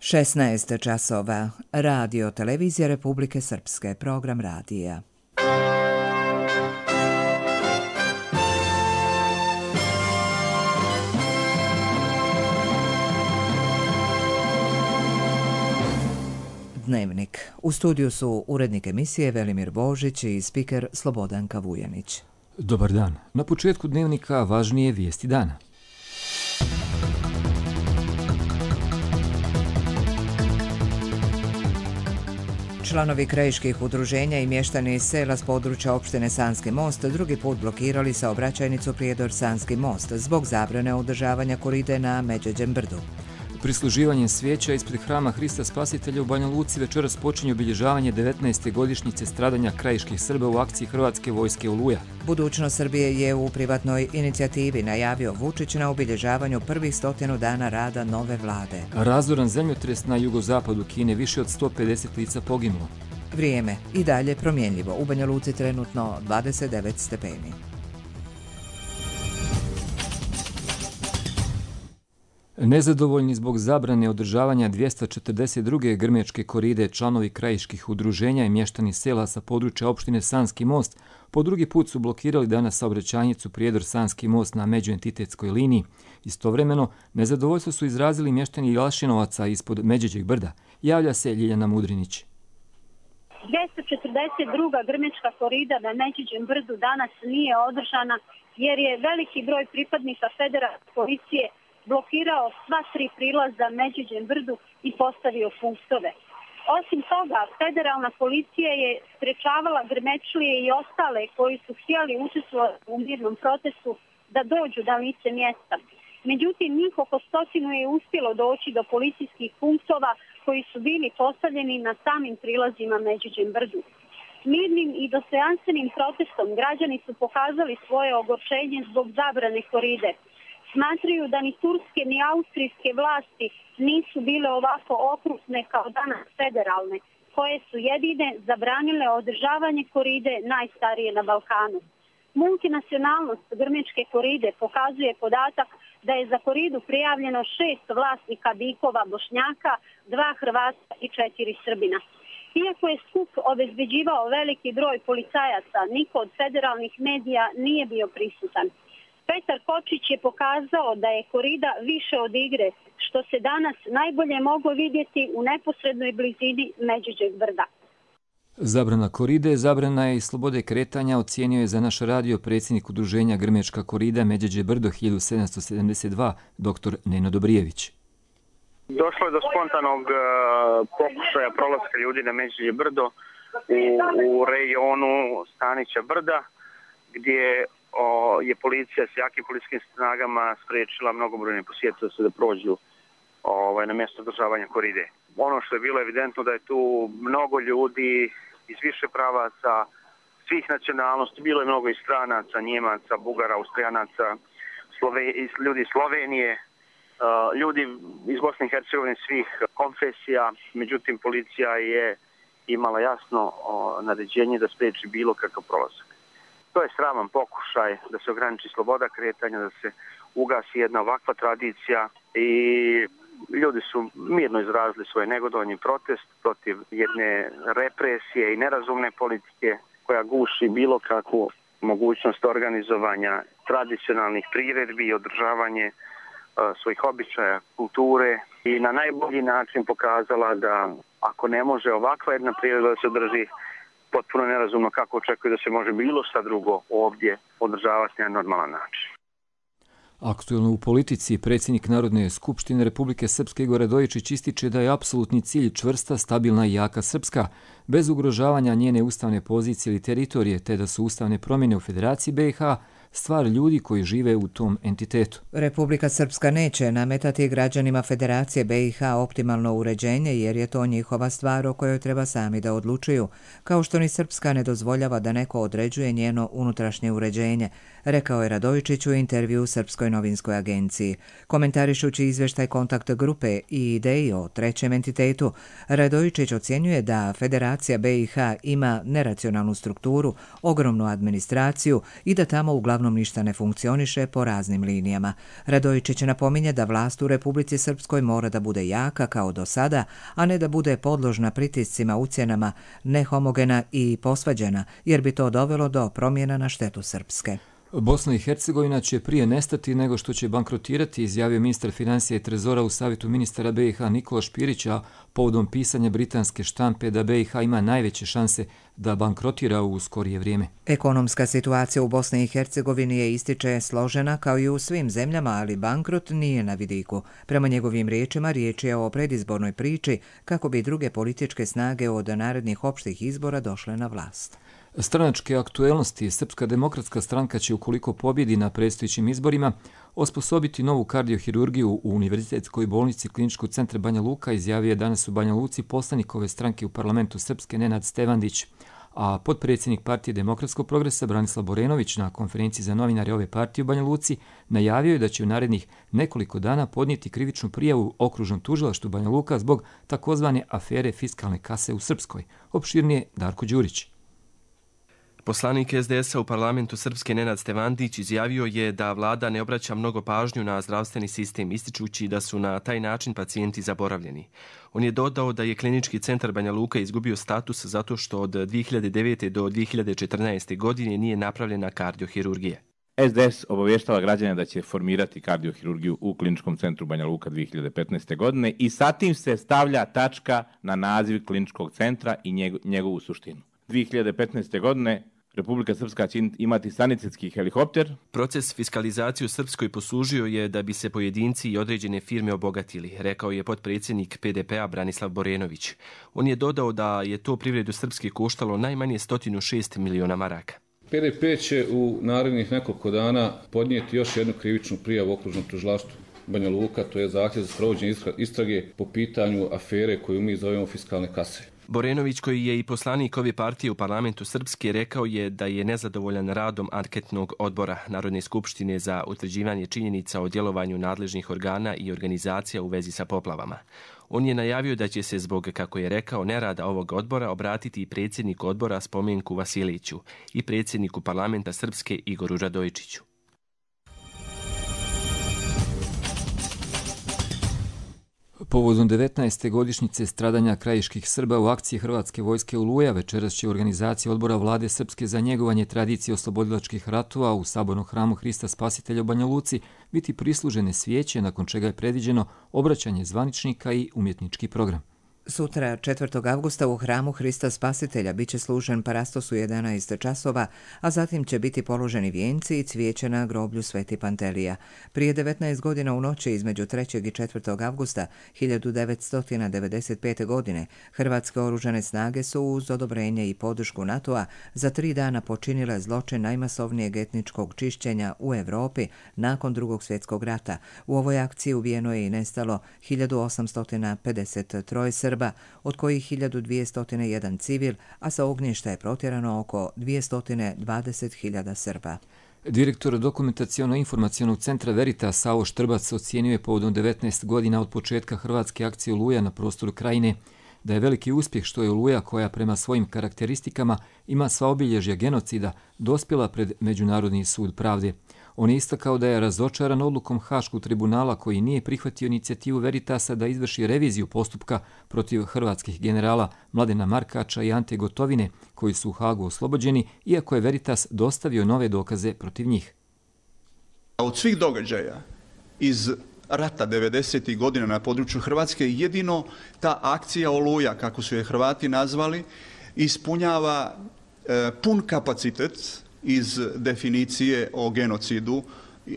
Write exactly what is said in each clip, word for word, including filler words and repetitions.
šesnaest časova. Radio Televizija Republike Srpske. Program radija. Dnevnik. U studiju su urednik emisije Velimir Božić i spiker Slobodanka Vujanić. Dobar dan. Na početku dnevnika važnije vijesti dana. Članovi krajiških udruženja i mještani iz sela s područja opštine Sanski most drugi put blokirali saobraćajnicu Prijedor-Sanski most zbog zabrane održavanja koride na Međeđem brdu. Prisluživanjem svijeća ispred hrama Hrista Spasitelja u Banja Luci večeras počinje obilježavanje devetnaeste godišnjice stradanja krajiških Srba u akciji Hrvatske vojske Oluja. Budućnost Srbije je u privatnoj inicijativi najavio Vučić na obilježavanju prvih stotinu dana rada nove vlade. Razoran zemljotres na jugozapadu Kine, više od sto pedeset lica poginulo. Vrijeme i dalje promjenljivo. U Banja Luci trenutno dvadeset devet stepeni. Nezadovoljni zbog zabrane održavanja dvjesto četrdeset druge grmečke koride, članovi krajiških udruženja i mještani sela sa područja opštine Sanski most po drugi put su blokirali danas saobraćajnicu Prijedor-Sanski most na međuentitetskoj liniji. Istovremeno, nezadovoljstvo su izrazili mještani Jalšinovaca ispod Međeđeg brda. Javlja se Ljiljana Mudrinić. dvjesto četrdeset druga grmečka korida na Međeđem brdu danas nije održana jer je veliki broj pripadnika federalne policije blokirao sva tri prilaza Međeđem brdu i postavio punktove. Osim toga, federalna policija je sprečavala grmečlije i ostale koji su htjeli učestvovati u mirnom protestu da dođu na lice mjesta. Međutim, njih oko stotinu je uspjelo doći do policijskih punktova koji su bili postavljeni na samim prilazima Međeđem brdu. Mirnim i dostojanstvenim protestom građani su pokazali svoje ogorčenje zbog zabrane koride. Smatraju da ni turske ni austrijske vlasti nisu bile ovako okrutne kao danas federalne, koje su jedine zabranile održavanje koride najstarije na Balkanu. Multinacionalnost grmečke koride pokazuje podatak da je za koridu prijavljeno šest vlasnika bikova Bošnjaka, dva Hrvata i četiri Srbina. Iako je skup obezbeđivao veliki broj policajaca, niko od federalnih medija nije bio prisutan. Petar Kočić je pokazao da je korida više od igre, što se danas najbolje moglo vidjeti u neposrednoj blizini Međeđeg brda. Zabrana koride, zabrana je i slobode kretanja, ocijenio je za naš radio predsjednik udruženja Grmečka korida Međeđe brdo hiljadu sedamsto sedamdeset dva, doktor Neno Dobrijević. Došlo je do spontanog uh, pokušaja prolaska ljudi na Međeđe brdo u, u rejonu Stanića brda, gdje O, je policija s jakim policijskim snagama spriječila mnogobrojne posjetitelje da prođu ovaj, na mjesto održavanja koride. Ono što je bilo evidentno da je tu mnogo ljudi iz više pravaca, svih nacionalnosti, bilo je mnogo i stranaca, Njemaca, Bugara, Austrijanaca, Slove, ljudi iz Slovenije, uh, ljudi iz Bosne i Hercegovine svih konfesija. Međutim, policija je imala jasno o, naređenje da spriječi bilo kakav prolazak. To je sraman pokušaj da se ograniči sloboda kretanja, da se ugasi jedna ovakva tradicija i ljudi su mirno izrazili svoje negodovanje protest protiv jedne represije i nerazumne politike koja guši bilo kakvu mogućnost organizovanja tradicionalnih priredbi i održavanje uh, svojih običaja, kulture i na najbolji način pokazala da ako ne može ovakva jedna priredba da se održi, potpuno nerazumno kako očekuje da se može bilo šta drugo ovdje održavati na normalan način. Aktuelno u politici, predsjednik Narodne skupštine Republike Srpske Igor Radojičić ističe da je apsolutni cilj čvrsta, stabilna i jaka Srpska, bez ugrožavanja njene ustavne pozicije ili teritorije, te da su ustavne promjene u Federaciji B i H stvar ljudi koji žive u tom entitetu. Republika Srpska neće nametati građanima Federacije B i H optimalno uređenje jer je to njihova stvar o kojoj treba sami da odlučuju, kao što ni Srpska ne dozvoljava da neko određuje njeno unutrašnje uređenje, rekao je Radojičić u intervju Srpskoj novinskoj agenciji. Komentarišući izvještaj kontakt grupe i ideji o trećem entitetu, Radojičić ocjenjuje da Federacija B i H ima neracionalnu strukturu, ogromnu administraciju i da tamo uglavnom uglavnom ništa ne funkcioniše po raznim linijama. Radojičić napominje da vlast u Republici Srpskoj mora da bude jaka kao do sada, a ne da bude podložna pritiscima, ucjenama, nehomogena i posvađana, jer bi to dovelo do promjena na štetu Srpske. Bosna i Hercegovina će prije nestati nego što će bankrotirati, izjavio ministar financija i trezora u savjetu ministara B i H Nikola Špirić, a povodom pisanja britanske štampe da B i H ima najveće šanse da bankrotira u skorije vrijeme. Ekonomska situacija u Bosni i Hercegovini je, ističe, složena kao i u svim zemljama, ali bankrot nije na vidiku. Prema njegovim riječima, riječ je o predizbornoj priči kako bi druge političke snage od narednih opštih izbora došle na vlast. Stranačke aktuelnosti. Srpska demokratska stranka će, ukoliko pobjedi na predstojećim izborima, osposobiti novu kardiohirurgiju u Univerzitetskoj bolnici Kliničkog centra Banja Luka, izjavio je danas u Banja Luci poslanik ove stranke u parlamentu Srpske Nenad Stevandić, a potpredsjednik partije Demokratskog progresa Branislav Borenović na konferenciji za novinare ove partije u Banja Luci najavio je da će u narednih nekoliko dana podnijeti krivičnu prijavu okružnom tužilaštvu Banja Luka zbog takozvane afere fiskalne kase u Srpskoj. Opširnije Darko Đurić. Poslanik S D S-a u parlamentu Srpske Nenad Stevandić izjavio je da vlada ne obraća mnogo pažnju na zdravstveni sistem, ističući da su na taj način pacijenti zaboravljeni. On je dodao da je Klinički centar Banja Luka izgubio status zato što od dvije hiljade devete. do dvije hiljade četrnaeste. godine nije napravljena kardiohirurgija. S D S obavještava građane da će formirati kardiohirurgiju u Kliničkom centru Banja Luka dvije hiljade petnaeste. godine i sa tim se stavlja tačka na naziv Kliničkog centra i njegovu suštinu. dvije hiljade petnaeste. godine Republika Srpska će imati sanitetski helikopter. Proces fiskalizacije u Srpskoj poslužio je da bi se pojedinci i određene firme obogatili, rekao je potpredsjednik P D P-a Branislav Borenović. On je dodao da je to privredu Srpske koštalo najmanje sto šest miliona maraka. P D P će u narednih nekoliko dana podnijeti još jednu krivičnu prijavu okružnom tužilaštvu Banja Luka, to je zahtjev za sprovođenje istrage po pitanju afere koju mi zovemo fiskalne kase. Borenović, koji je i poslanik ove partije u parlamentu Srpske, rekao je da je nezadovoljan radom anketnog odbora Narodne skupštine za utvrđivanje činjenica o djelovanju nadležnih organa i organizacija u vezi sa poplavama. On je najavio da će se zbog, kako je rekao, nerada ovog odbora obratiti i predsjedniku odbora Spomenku Vasiliću i predsjedniku parlamenta Srpske Igoru Radojičiću. Povodom devetnaeste godišnjice stradanja krajiških Srba u akciji Hrvatske vojske Oluja, večeras će organizacija odbora vlade Srpske za njegovanje tradicije oslobodilačkih ratova u sabornom hramu Hrista Spasitelja u Banja Luci biti prislužene svijeće, nakon čega je predviđeno obraćanje zvaničnika i umjetnički program. Sutra, četvrtog avgusta, u hramu Hrista Spasitelja biće služen parastos u jedanaest časova, a zatim će biti položeni vijenci i cvijeće na groblju Sveti Pantelija. Prije devetnaest godina u noći između trećeg i četvrtog avgusta hiljadu devetsto devedeset pete. godine hrvatske oružane snage su uz odobrenje i podršku NATO-a za tri dana počinile zločin najmasovnijeg etničkog čišćenja u Evropi nakon Drugog svjetskog rata. U ovoj akciji ubijeno je i nestalo hiljadu osamsto pedeset tri Srba, od kojih hiljadu dvjesto jedan civil, a sa ognjišta je protjerano oko dvjesto dvadeset hiljada Srba. Direktor dokumentacijono-informacijonog centra Veritas Savo Štrbac ocijenio je povodom devetnaest godina od početka hrvatske akcije Oluja na prostoru Krajine da je veliki uspjeh što je Oluja, koja prema svojim karakteristikama ima sva obilježja genocida, dospjela pred Međunarodni sud pravde. On je istakao da je razočaran odlukom Haškog tribunala, koji nije prihvatio inicijativu Veritasa da izvrši reviziju postupka protiv hrvatskih generala Mladena Markača i Ante Gotovine, koji su u Hagu oslobođeni, iako je Veritas dostavio nove dokaze protiv njih. Od svih događaja iz rata devedesetih godina na području Hrvatske, jedino ta akcija Oluja, kako su je Hrvati nazvali, ispunjava e, pun kapacitet iz definicije o genocidu,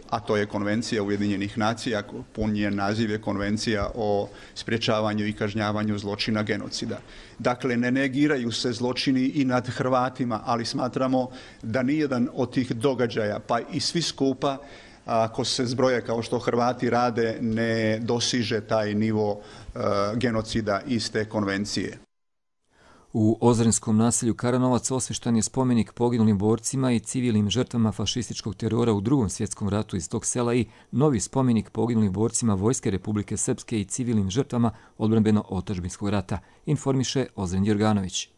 a to je Konvencija Ujedinjenih nacija, pun je naziv je Konvencija o sprječavanju i kažnjavanju zločina genocida. Dakle, ne negiraju se zločini i nad Hrvatima, ali smatramo da nijedan od tih događaja, pa i svi skupa, ako se zbroje kao što Hrvati rade, ne dosiže taj nivo uh, genocida iz te konvencije. U ozrenskom naselju Karanovac osvještan je spomenik poginulim borcima i civilnim žrtvama fašističkog terora u Drugom svjetskom ratu iz tog sela i novi spomenik poginulim borcima Vojske Republike Srpske i civilnim žrtvama odbrambeno-otadžbinskog rata, informiše Ozren Jorganović.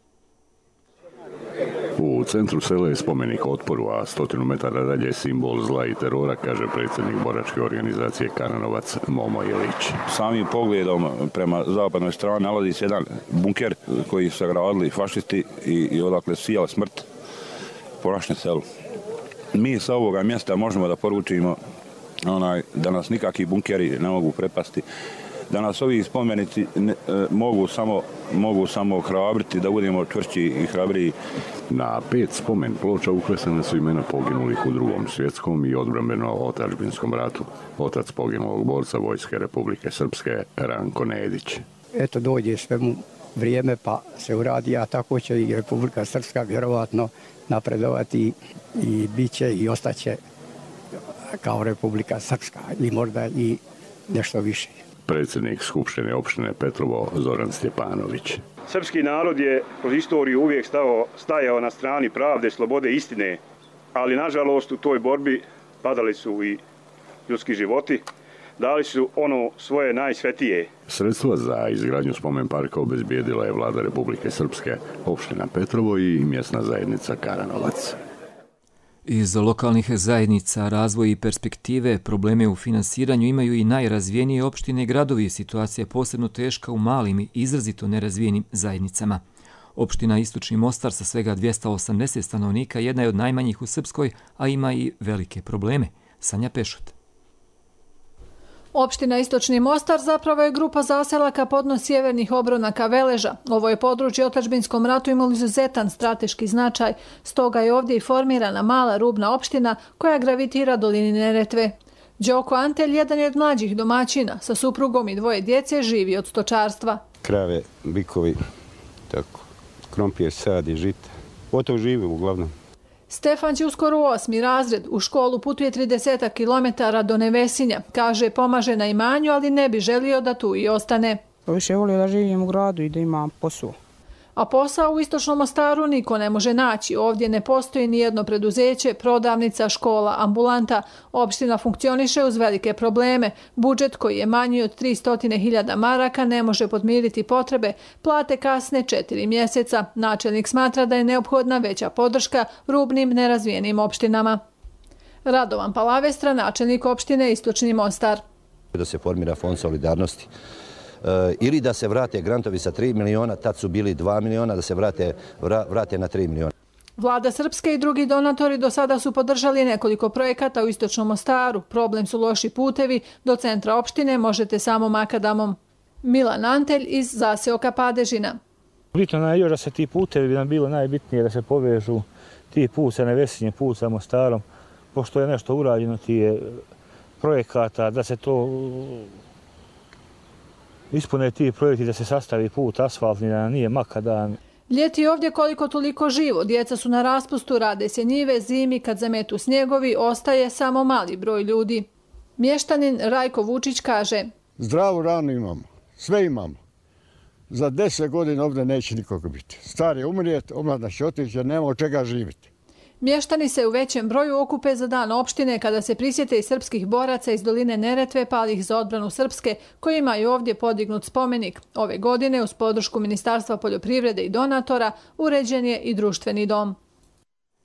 U centru sela je spomenik otporu, a stotinu metara dalje je simbol zla i terora, kaže predsjednik boračke organizacije Karanovac Momo Ilić. Samim pogledom prema zapadnoj strani nalazi se jedan bunker koji su gradili fašisti i, i odakle sijala smrt po našem selu. Mi sa ovoga mjesta možemo da poručimo onaj, da nas nikakvi bunkeri ne mogu prepasti, da nas ovi spomenici ne, e, mogu, samo, mogu samo hrabriti, da budemo čvršći i hrabriji. Na pet spomen ploča uklesane su imena poginulih u drugom svjetskom i odbrambeno-otadžbinskom ratu. Otac poginulog borca Vojske Republike Srpske, Ranko Nedić. Eto, dođe svemu vrijeme pa se uradi, a tako će i Republika Srpska vjerovatno napredovati i bit će i ostaće kao Republika Srpska ili možda i nešto više. Predsjednik Skupštine opštine Petrovo Zoran Stjepanović. Srpski narod je kroz istoriju uvijek stao, stajao na strani pravde, slobode i istine, ali nažalost u toj borbi padali su i ljudski životi, dali su ono svoje najsvetije. Sredstva za izgradnju spomen parka obezbijedila je vlada Republike Srpske, opština Petrovo i mjesna zajednica Karanovac. Iz lokalnih zajednica, razvoj i perspektive, probleme u finansiranju imaju i najrazvijenije opštine i gradovi. Situacija je posebno teška u malim i izrazito nerazvijenim zajednicama. Opština Istočni Mostar sa svega dvjesto osamdeset stanovnika jedna je od najmanjih u Srpskoj, a ima i velike probleme. Sanja Pešut. Opština Istočni Mostar zapravo je grupa zaselaka podno sjevernih obronaka Veleža. Ovo je područje u otadžbinskom ratu imalo izuzetan strateški značaj, stoga je ovdje i formirana mala rubna opština koja gravitira dolini Neretve. Đoko Antelj, jedan je od mlađih domaćina, sa suprugom i dvoje djece živi od stočarstva. Krave, bikovi, tako, krompir, sad i žita. Od tog živi uglavnom. Stefan će uskoro u osmi razred. U školu putuje trideset kilometara do Nevesinja. Kaže, pomaže na imanju, ali ne bi želio da tu i ostane. Više volio da živim u gradu i da imam posao. A posao u Istočnom Mostaru niko ne može naći. Ovdje ne postoji ni jedno preduzeće, prodavnica, škola, ambulanta. Opština funkcioniše uz velike probleme. Budžet koji je manji od tristo hiljada maraka ne može podmiriti potrebe. Plate kasne četiri mjeseca. Načelnik smatra da je neophodna veća podrška rubnim nerazvijenim opštinama. Radovan Palavestra, načelnik opštine Istočni Mostar. Da se formira fond solidarnosti. Ili da se vrate grantovi sa tri miliona, tad su bili dva miliona, da se vrate, vrate na tri miliona. Vlada Srpske i drugi donatori do sada su podržali nekoliko projekata u Istočnom Mostaru. Problem su loši putevi, do centra opštine možete samo makadamom. Milan Antelj iz zaseoka Padežina. Bitno je još da se ti putevi bi nam bilo najbitnije da se povežu ti put sa Nevesinjem, put sa Mostarom, pošto je nešto urađeno ti je projekata, da se to ispune ti projekti, da se sastavi put asfaltni, da nije makadan. Ljeti je ovdje koliko toliko živo. Djeca su na raspustu, rade se njive, zimi kad zametu snjegovi, ostaje samo mali broj ljudi. Mještanin Rajko Vučić kaže: Zdravu ranu imamo, sve imamo. Za deset godina ovdje neće nikoga biti. Star je umrijet, omladna će otići jer nema od čega živjeti. Mještani se u većem broju okupe za dan opštine kada se prisjete i srpskih boraca iz doline Neretve palih za odbranu Srpske koji imaju ovdje podignut spomenik. Ove godine uz podršku Ministarstva poljoprivrede i donatora uređen je i društveni dom.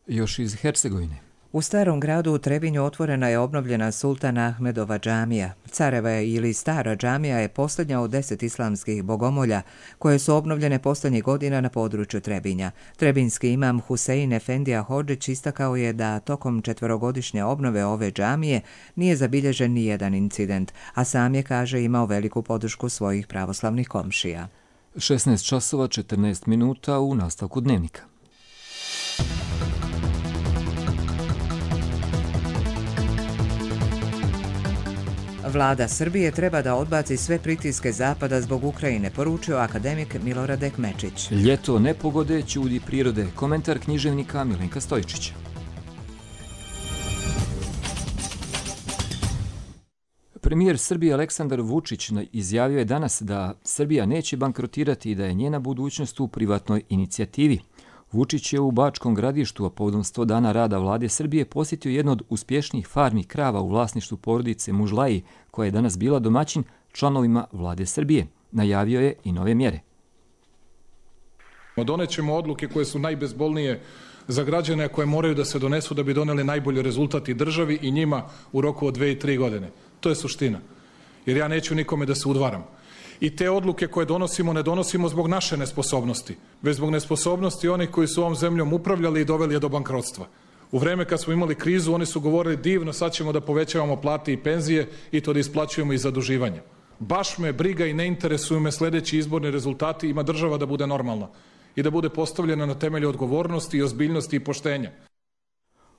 Još iz Hercegovine. U Starom gradu u Trebinju otvorena je obnovljena Sultan Ahmedova džamija. Careva ili Stara džamija je posljednja od deset islamskih bogomolja koje su obnovljene posljednjih godina na području Trebinja. Trebinski imam Husein Efendija Hodžić istakao je da tokom četverogodišnje obnove ove džamije nije zabilježen ni jedan incident, a sam je, kaže, imao veliku podršku svojih pravoslavnih komšija. šesnaest časova četrnaest minuta u nastavku dnevnika. Vlada Srbije treba da odbaci sve pritiske Zapada zbog Ukrajine, poručio akademik Milorad Ekmečić. Ljeto nepogode, čudi prirode. Komentar književnika Milenka Stojčića. Premijer Srbije Aleksandar Vučić izjavio je danas da Srbija neće bankrotirati i da je njena budućnost u privatnoj inicijativi. Vučić je u Bačkom Gradištu, a povodom sto dana rada vlade Srbije, posjetio jednu od uspješnijih farmi krava u vlasništvu porodice Mužlaji, koja je danas bila domaćin članovima vlade Srbije. Najavio je i nove mjere. Donećemo odluke koje su najbezbolnije za građane koje moraju da se donesu da bi doneli najbolji rezultat i državi i njima u roku od dve i tri godine. To je suština. Jer ja neću nikome da se udvaram. I te odluke koje donosimo ne donosimo zbog naše nesposobnosti, već zbog nesposobnosti onih koji su ovom zemljom upravljali i doveli je do bankrotstva. U vreme kad smo imali krizu, oni su govorili divno, sad ćemo da povećavamo plate i penzije i to da isplaćujemo i zaduživanje. Baš me briga i ne interesuju me sljedeći izborni rezultati, ima država da bude normalna i da bude postavljena na temelju odgovornosti i ozbiljnosti i poštenja.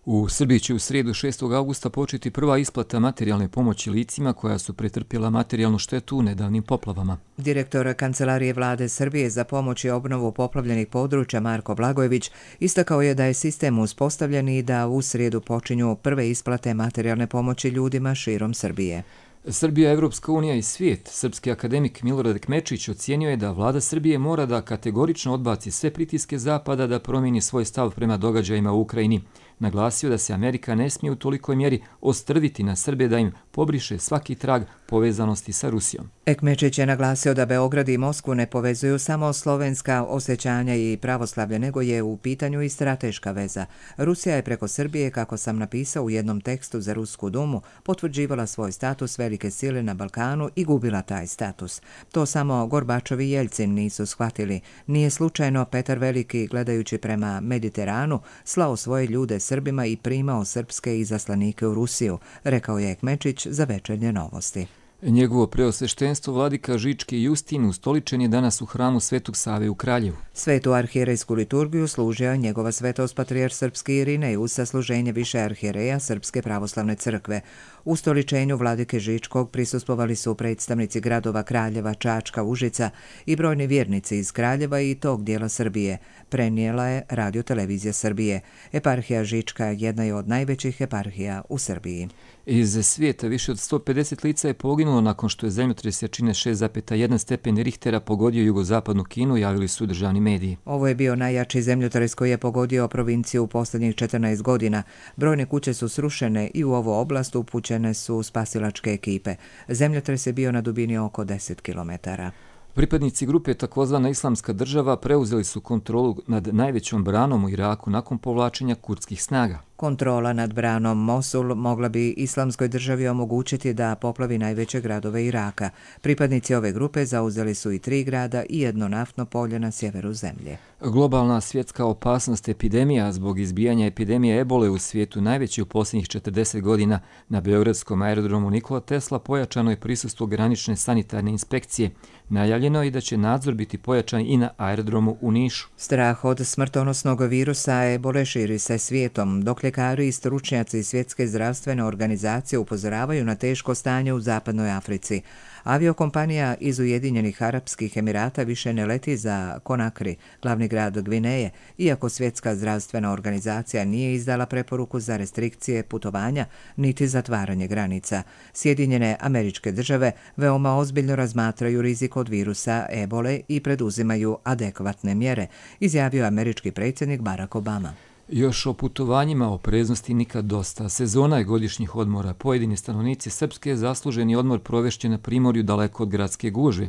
U Srbiji će u srijedu šestog augusta početi prva isplata materijalne pomoći licima koja su pretrpjela materijalnu štetu u nedavnim poplavama. Direktor Kancelarije vlade Srbije za pomoć i obnovu poplavljenih područja Marko Blagojević istakao je da je sistem uspostavljen i da u srijedu počinju prve isplate materijalne pomoći ljudima širom Srbije. Srbija, Evropska unija i svijet. Srpski akademik Milorad Kmečić ocijenio je da vlada Srbije mora da kategorično odbaci sve pritiske Zapada da promijeni svoj stav prema događajima u Ukrajini. Naglasio da se Amerika ne smije u tolikoj mjeri ostrviti na Srbe da im pobriše svaki trag povezanosti sa Rusijom. Ekmečić je naglasio da Beograd i Moskvu ne povezuju samo slovenska osjećanja i pravoslavlje, nego je u pitanju i strateška veza. Rusija je preko Srbije, kako sam napisao u jednom tekstu za Rusku dumu, potvrđivala svoj status velike sile na Balkanu i gubila taj status. To samo Gorbačov i Jeljcin nisu shvatili. Nije slučajno Petar Veliki, gledajući prema Mediteranu, slao svoje ljude Srbima i primao srpske izaslanike u Rusiju, rekao je Ekmečić za Večernje novosti. Njegovo preosveštenstvo vladika Žički Justin ustoličen je danas u hramu Svetog Save u Kraljevu. Svetu arhijerejsku liturgiju služio njegova svetost patrijarh srpski Irinej uz sasluženje više arhijereja Srpske pravoslavne crkve. U stoličenju vladike Žičkog prisustvovali su predstavnici gradova Kraljeva, Čačka, Užica i brojni vjernici iz Kraljeva i tog dijela Srbije. Prenijela je Radio televizija Srbije. Eparhija Žička jedna je od najvećih eparhija u Srbiji. Iz svijeta više od sto pedeset lica je poginulo nakon što je zemljotres jačine šest zarez jedan stepen Richtera pogodio jugozapadnu Kinu, javili su državni mediji. Ovo je bio najjači zemljotres koji je pogodio provinciju u posljednjih četrnaest godina. Brojne kuće su srušene i u ovu oblast upućene su spasilačke ekipe. Zemljotres je bio na dubini oko deset kilometara. Pripadnici grupe takozvana Islamska država preuzeli su kontrolu nad najvećom branom u Iraku nakon povlačenja kurdskih snaga. Kontrola nad branom Mosul mogla bi Islamskoj državi omogućiti da poplavi najveće gradove Iraka. Pripadnici ove grupe zauzeli su i tri grada i jedno naftno polje na sjeveru zemlje. Globalna svjetska opasnost epidemija zbog izbijanja epidemije ebole u svijetu najveći u posljednjih četrdeset godina. Na beogradskom aerodromu Nikola Tesla pojačano je prisustvo granične sanitarne inspekcije. Najavljeno je da će nadzor biti pojačan i na aerodromu u Nišu. Strah od smrtonosnog virusa ebole širi se svijetom, dok ljekari i stručnjaci Svjetske zdravstvene organizacije upozoravaju na teško stanje u zapadnoj Africi. Aviokompanija iz Ujedinjenih Arapskih Emirata više ne leti za Konakri, glavni grad Gvineje, iako Svjetska zdravstvena organizacija nije izdala preporuku za restrikcije putovanja niti zatvaranje granica. Sjedinjene Američke države veoma ozbiljno razmatraju rizik od virusa ebole i preduzimaju adekvatne mjere, izjavio američki predsjednik Barack Obama. Još o putovanjima, opreznosti nikad dosta. Sezona je godišnjih odmora. Pojedini stanovnici Srpske zasluženi odmor provešće na primorju daleko od gradske gužve.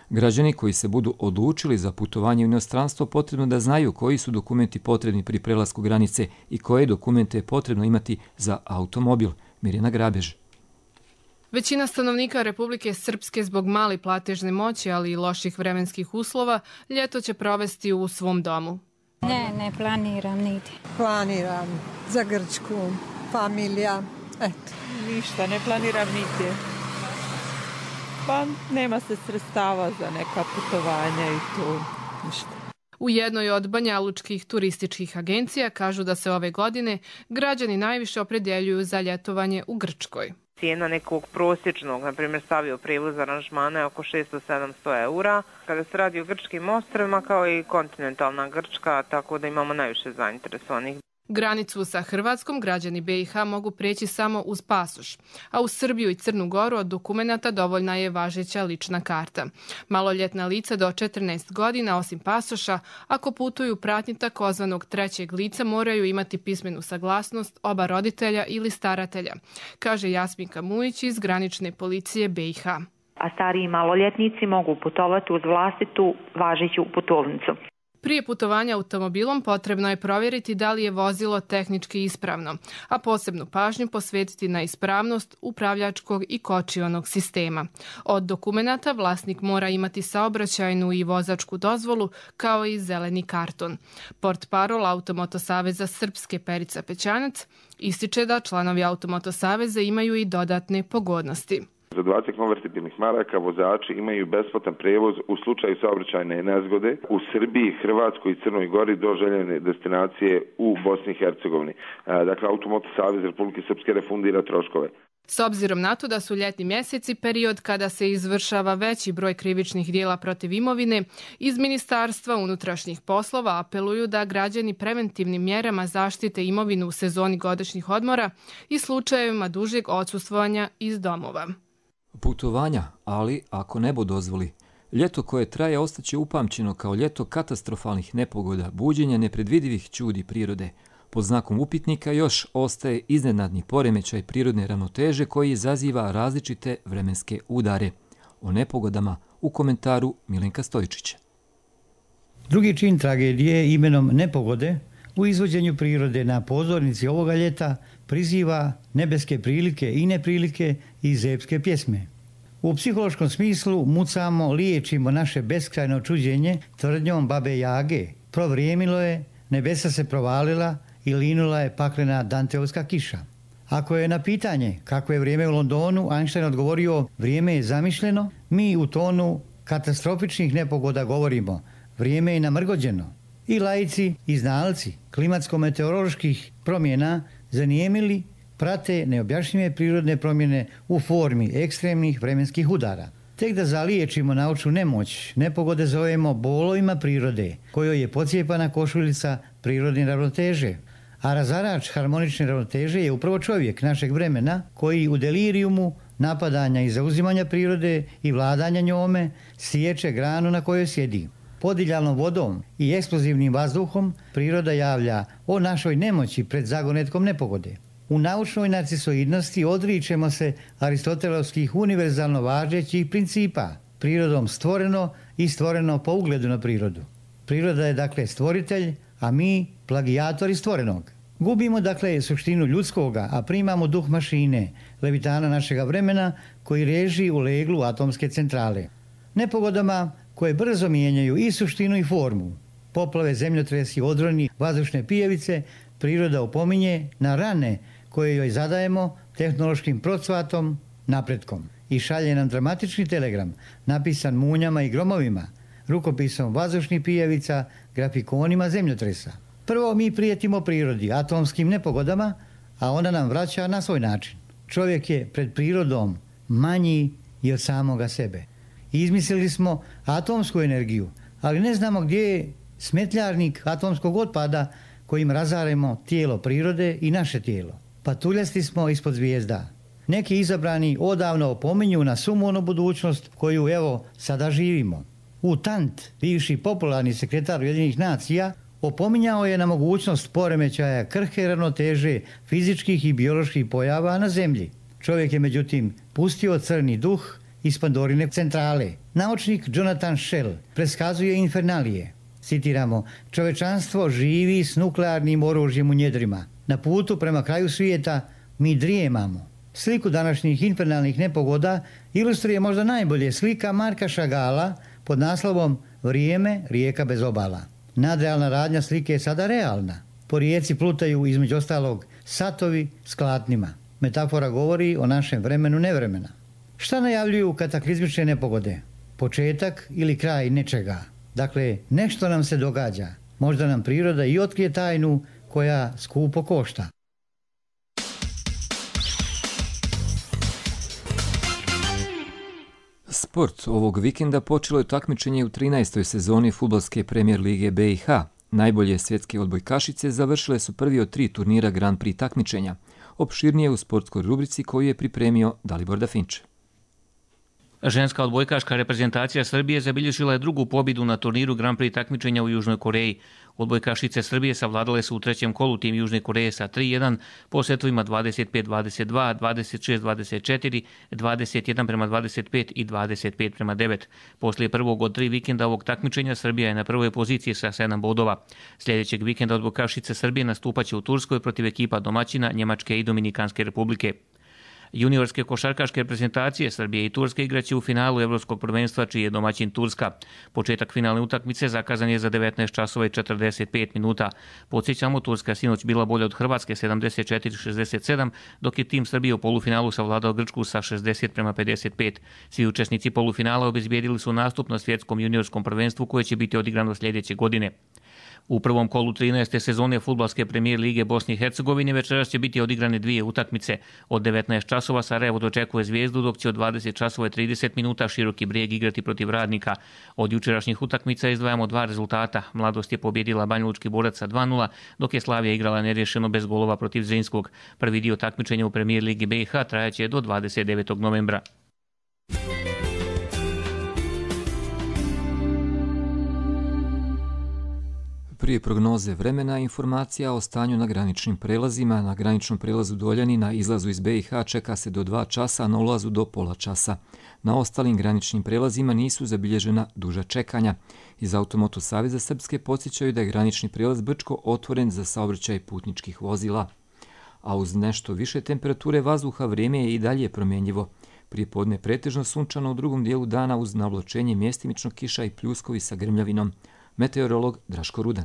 Građani koji se budu odlučili za putovanje u inostranstvo potrebno da znaju koji su dokumenti potrebni pri prelasku granice i koje dokumente je potrebno imati za automobil. Mirjana Grabež. Većina stanovnika Republike Srpske zbog male platežne moći, ali i loših vremenskih uslova, ljeto će provesti u svom domu. Ne, ne planiram niti. Planiram za Grčku, familija, eto. Ništa, ne planiram niti. Pa nema se sredstava za neka putovanja i to ništa. U jednoj od banjalučkih turističkih agencija kažu da se ove godine građani najviše opredjeljuju za ljetovanje u Grčkoj. Cijena nekog prosječnog, na primjer stavio prevoz aranžmana je oko šesto do sedamsto eura. Kada se radi o grčkim ostrvima kao i kontinentalna Grčka, tako da imamo najviše zainteresovanih. Granicu sa Hrvatskom građani be i ha mogu preći samo uz pasoš, a u Srbiju i Crnu Goru od dokumenata dovoljna je važeća lična karta. Maloljetna lica do četrnaest godina, osim pasoša, ako putuju pratnji takozvanog trećeg lica, moraju imati pismenu saglasnost oba roditelja ili staratelja, kaže Jasminka Mujić iz granične policije be i ha. A stariji maloljetnici mogu putovati uz vlastitu važeću putovnicu. Prije putovanja automobilom potrebno je provjeriti da li je vozilo tehnički ispravno, a posebnu pažnju posvetiti na ispravnost upravljačkog i kočionog sistema. Od dokumenata vlasnik mora imati saobraćajnu i vozačku dozvolu kao i zeleni karton. Portparol Automoto Saveza Srpske Perica Pećanac ističe da članovi Automoto Saveza imaju i dodatne pogodnosti. Za dvadeset konvertibilnih maraka vozači imaju besplatan prevoz u slučaju saobraćajne nezgode u Srbiji, Hrvatskoj i Crnoj Gori do željene destinacije u Bosni i Hercegovini. Dakle, Automoto Savez Republike Srpske refundira troškove. S obzirom na to da su ljetni mjeseci period kada se izvršava veći broj krivičnih dijela protiv imovine, iz Ministarstva unutrašnjih poslova apeluju da građani preventivnim mjerama zaštite imovinu u sezoni godišnjih odmora i slučajevima dužeg odsustvovanja iz domova. Putovanja, ali ako nebo dozvoli. Ljeto koje traje ostaće upamćeno kao ljeto katastrofalnih nepogoda, buđenja nepredvidivih čudi prirode. Pod znakom upitnika još ostaje iznenadni poremećaj prirodne ravnoteže koji izaziva različite vremenske udare. O nepogodama u komentaru Milenka Stojičića. Drugi čin tragedije imenom nepogode u izvođenju prirode na pozornici ovoga ljeta priziva nebeske prilike i neprilike iz epske pjesme. U psihološkom smislu mucamo, liječimo naše beskrajno čuđenje tvrdnjom babe Jage. Provrijemilo je, nebesa se provalila i linula je paklena Danteovska kiša. Ako je na pitanje kako je vrijeme u Londonu Einstein odgovorio vrijeme je zamišljeno, mi u tonu katastrofičnih nepogoda govorimo vrijeme je namrgođeno. I laici i znalci klimatsko-meteoroloških promjena zanijemili prate neobjašnjive prirodne promjene u formi ekstremnih vremenskih udara. Tek da zaliječimo naučnu nemoć, nepogode zovemo bolovima prirode, kojoj je pocijepana košuljica prirodne ravnoteže. A razarač harmonične ravnoteže je upravo čovjek našeg vremena koji u delirijumu napadanja i zauzimanja prirode i vladanja njome siječe granu na kojoj sjedi. Podiljalnom vodom i eksplozivnim vazduhom priroda javlja o našoj nemoći pred zagonetkom nepogode. U naučnoj narcisoidnosti odričemo se aristotelovskih univerzalno važećih principa, prirodom stvoreno i stvoreno po ugledu na prirodu. Priroda je dakle stvoritelj, a mi plagijatori stvorenog. Gubimo dakle suštinu ljudskoga, a primamo duh mašine, levitana našega vremena koji reži u leglu atomske centrale. Nepogodama koje brzo mijenjaju i suštinu i formu, poplave, zemljotresi, odroni, vazdušne pijevice, priroda opominje na rane koje joj zadajemo tehnološkim procvatom, napretkom. I šalje nam dramatični telegram, napisan munjama i gromovima, rukopisom vazdušnih pijevica, grafikonima zemljotresa. Prvo mi prijetimo prirodi, atomskim nepogodama, a ona nam vraća na svoj način. Čovjek je pred prirodom manji i od samoga sebe. Izmislili smo atomsku energiju, ali ne znamo gdje je smetljarnik atomskog otpada kojim razaremo tijelo prirode i naše tijelo. Patuljasti smo ispod zvijezda. Neki izabrani odavno opominju na sumornu budućnost koju evo sada živimo. U Tant, bivši popularni sekretar Ujedinjenih nacija, opominjao je na mogućnost poremećaja krhke ravnoteže fizičkih i bioloških pojava na zemlji. Čovjek je međutim pustio crni duh iz Pandorine centrale. Naučnik Jonathan Shell preskazuje infernalije. Citiramo, čovečanstvo živi s nuklearnim oružjem u njedrima. Na putu prema kraju svijeta mi drijemamo. Sliku današnjih infernalnih nepogoda ilustruje možda najbolje slika Marka Šagala pod naslovom Vrijeme, rijeka bez obala. Nadrealna radnja slike je sada realna. Po rijeci plutaju između ostalog satovi s klatnima. Metafora govori o našem vremenu nevremena. Šta najavljuju kataklizmične nepogode? Početak ili kraj nečega. Dakle, nešto nam se događa. Možda nam priroda i otkrije tajnu koja skupo košta. Sport ovog vikenda počelo je takmičenje u trinaestoj sezoni fudbalske premijer lige B i H. Najbolje svjetske odbojkašice završile su prvi od tri turnira Grand Prix takmičenja. Opširnije u sportskoj rubrici koju je pripremio Dalibor Dafinče. Ženska odbojkaška reprezentacija Srbije zabilježila je drugu pobjedu na turniru Grand Prix takmičenja u Južnoj Koreji. Odbojkašice Srbije savladale su u trećem kolu tim Južne Koreje sa tri jedan po setovima dvadeset pet dvadeset dva, dvadeset šest dvadeset četiri, dvadeset jedan prema dvadeset pet i dvadeset pet prema devet. Poslije prvog od tri vikenda ovog takmičenja Srbija je na prvoj poziciji sa sedam bodova. Sljedećeg vikenda odbojkašice Srbije nastupaće u Turskoj protiv ekipa domaćina Njemačke i Dominikanske republike. Juniorske košarkaške reprezentacije Srbije i Turske igraće u finalu Evropskog prvenstva čiji je domaćin Turska. Početak finalne utakmice zakazan je za devetnaest časova i četrdeset pet minuta. Podsjećamo, Turska sinoć bila bolja od Hrvatske sedamdeset četiri šezdeset sedam, dok je tim Srbije u polufinalu savladao Grčku sa šezdeset prema pedeset pet. Svi učesnici polufinala obezbijedili su nastup na svjetskom juniorskom prvenstvu koje će biti odigrano sljedeće godine. U prvom kolu trinaeste sezone fudbalske premijer lige Bosne i Hercegovine večeras će biti odigrane dvije utakmice. Od devetnaest časova Sarajevo dočekuje Zvijezdu, dok će od dvadeset časova i trideset minuta Široki Brijeg igrati protiv Radnika. Od jučerašnjih utakmica izdvajamo dva rezultata. Mladost je pobjedila Banjalučki Borac sa dva nula, dok je Slavija igrala nerješeno bez golova protiv Zrinskog. Prvi dio takmičenja u premijer ligi B i H trajaće do dvadeset devetog novembra. Prije prognoze vremena, informacija o stanju na graničnim prelazima. Na graničnom prelazu Doljani na izlazu iz B i H čeka se do dva časa, a na ulazu do pola časa. Na ostalim graničnim prelazima nisu zabilježena duža čekanja. Iz Automoto Saveza Srpske podsjećaju da je granični prelaz Brčko otvoren za saobraćaj putničkih vozila. A uz nešto više temperature vazduha vrijeme je i dalje promjenjivo. Prije podne pretežno sunčano, u drugom dijelu dana uz navlačenje mjestimično kiša i pljuskovi sa grmljavinom. Meteorolog Draško Rudan.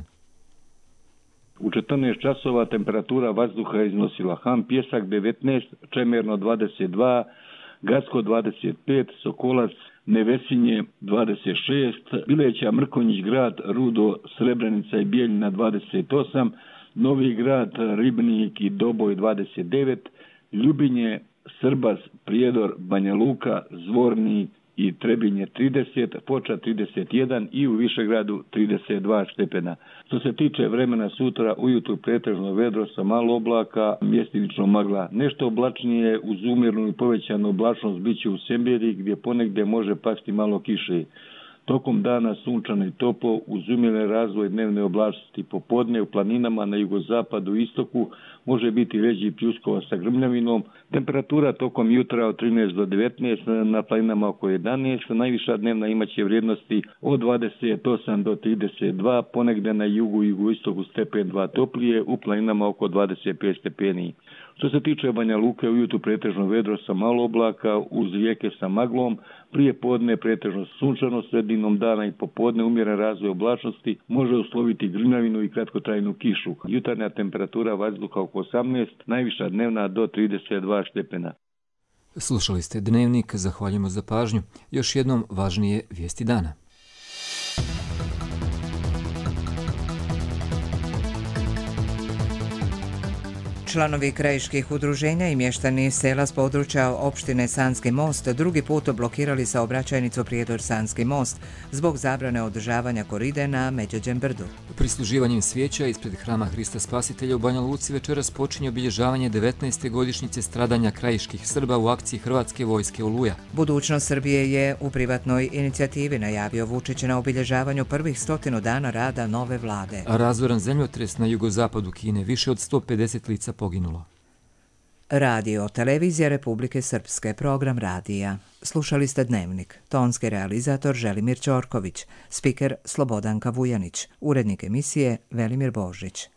U četrnaest časova temperatura vazduha je iznosila Ham Pjesak devetnaest, Čemerno dvadeset dva, Gacko dvadeset pet, Sokolac, Nevesinje dvadeset šest, Bileća, Mrkonjić grad, Rudo, Srebrenica i Bijeljina dvadeset osam, Novi grad, Ribnik i Doboj dvadeset devet, Ljubinje, Srbas, Prijedor, Banja Luka, Zvornik i Trebinje trideset, Foča trideset jedan i u Višegradu trideset dva stepena. Što se tiče vremena sutra, ujutru pretežno vedro sa malo oblaka, mjestimično magla. Nešto oblačnije uz umjernu i povećanu oblačnost biće u Semberi gdje ponegdje može pasti malo kiše. Tokom dana sunčano i toplo uz umjeren razvoj dnevne oblačnosti. Popodne u planinama na jugozapadu i istoku može biti veći pljuskova sa grmljavinom. Temperatura tokom jutra od trinaest do devetnaest, na planinama oko jedanaest. Najviša dnevna imaće vrijednosti od dvadeset osam do trideset dva, ponegdje na jugu i jugoistoku stepen dva toplije, u planinama oko dvadeset pet stepeni. Što se tiče Banja Luke, ujutru pretežno vedro sa malo oblaka uz rijeke sa maglom, prije podne pretežno sunčano, sredinom dana i popodne umjeren razvoj oblačnosti može usloviti grmljavinu i kratkotrajnu kišu. Jutarnja temperatura vazduha oko osamnaest, najviša dnevna do trideset dva stepena. Slušali ste Dnevnik, zahvaljujemo za pažnju. Još jednom važnije vijesti dana. Članovi krajiških udruženja i mještani sela s područja opštine Sanski most drugi put blokirali saobraćajnicu Prijedor-Sanski most zbog zabrane održavanja koride na Međeđem brdu. Prisluživanjem svijeća ispred hrama Hrista Spasitelja u Banja Luci večeras počinje obilježavanje devetnaeste godišnjice stradanja krajiških Srba u akciji Hrvatske vojske Oluja. Budućnost Srbije je u privatnoj inicijativi najavio Vučić na obilježavanju prvih stotinu dana rada nove vlade. Razoran zemljotres na jugozapadu Kine, više od sto pedeset lica poginulo. Radio, televizija Republike Srpske, program radija. Slušali ste Dnevnik. Tonski realizator Želimir Ćorković, spiker Slobodanka Vujanić, urednik emisije Velimir Božić.